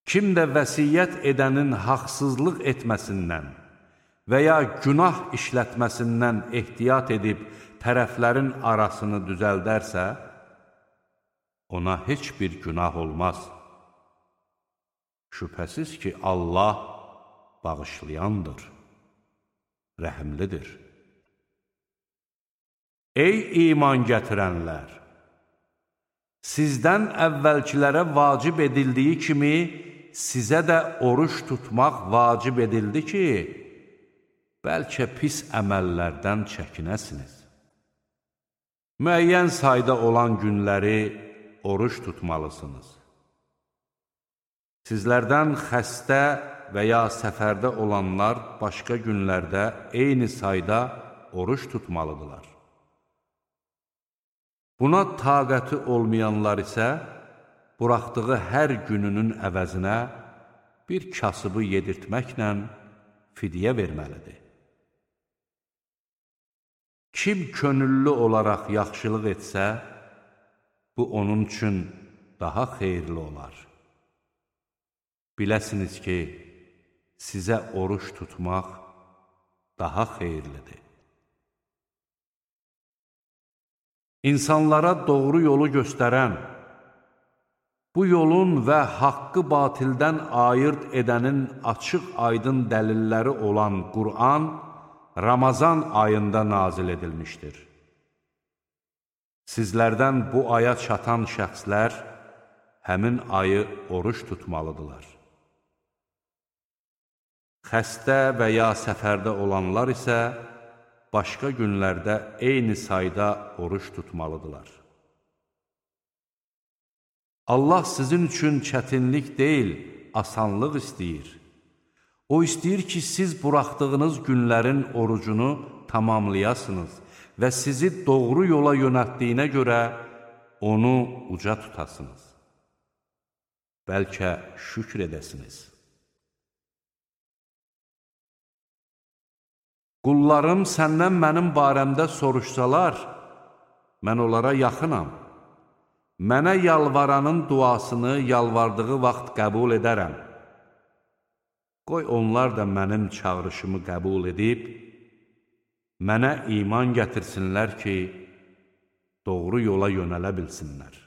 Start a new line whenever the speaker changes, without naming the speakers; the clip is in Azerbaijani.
Kim də vəsiyyət edənin haqsızlıq etməsindən və ya günah işlətməsindən ehtiyat edib tərəflərin arasını düzəldərsə, ona heç bir günah olmaz. Şübhəsiz ki, Allah bağışlayandır, rəhimlidir. Ey iman gətirənlər! Sizdən əvvəlkilərə vacib edildiyi kimi, sizə də oruç tutmaq vacib edildi ki, bəlkə pis əməllərdən çəkinəsiniz. Müəyyən sayda olan günləri oruç tutmalısınız. Sizlərdən xəstə və ya səfərdə olanlar başqa günlərdə eyni sayda oruç tutmalıdırlar. Buna taqəti olmayanlar isə buraxdığı hər gününün əvəzinə bir kasıbı yedirtməklə fidyə verməlidir. Kim könüllü olaraq yaxşılıq etsə, bu onun üçün daha xeyirli olar. Biləsiniz ki, sizə oruç tutmaq daha xeyirlidir. İnsanlara doğru yolu göstərən, bu yolun və haqqı batildən ayırt edənin açıq-aydın dəlilləri olan Qur'an Ramazan ayında nazil edilmişdir. Sizlərdən bu aya çatan şəxslər həmin ayı oruç tutmalıdırlar. Xəstə və ya səfərdə olanlar isə başqa günlərdə eyni sayda oruç tutmalıdırlar. Allah sizin üçün çətinlik deyil, asanlıq istəyir. O istəyir ki, siz buraxdığınız günlərin orucunu tamamlayasınız və sizi doğru yola yönəltdiyinə görə onu uca tutasınız. Bəlkə şükr edəsiniz. Qullarım səndən mənim barəmdə soruşsalar, mən onlara yaxınam. Mənə yalvaranın duasını yalvardığı vaxt qəbul edərəm. Qoy onlar da mənim çağrışımı qəbul edib, mənə iman gətirsinlər ki, doğru yola yönələ bilsinlər.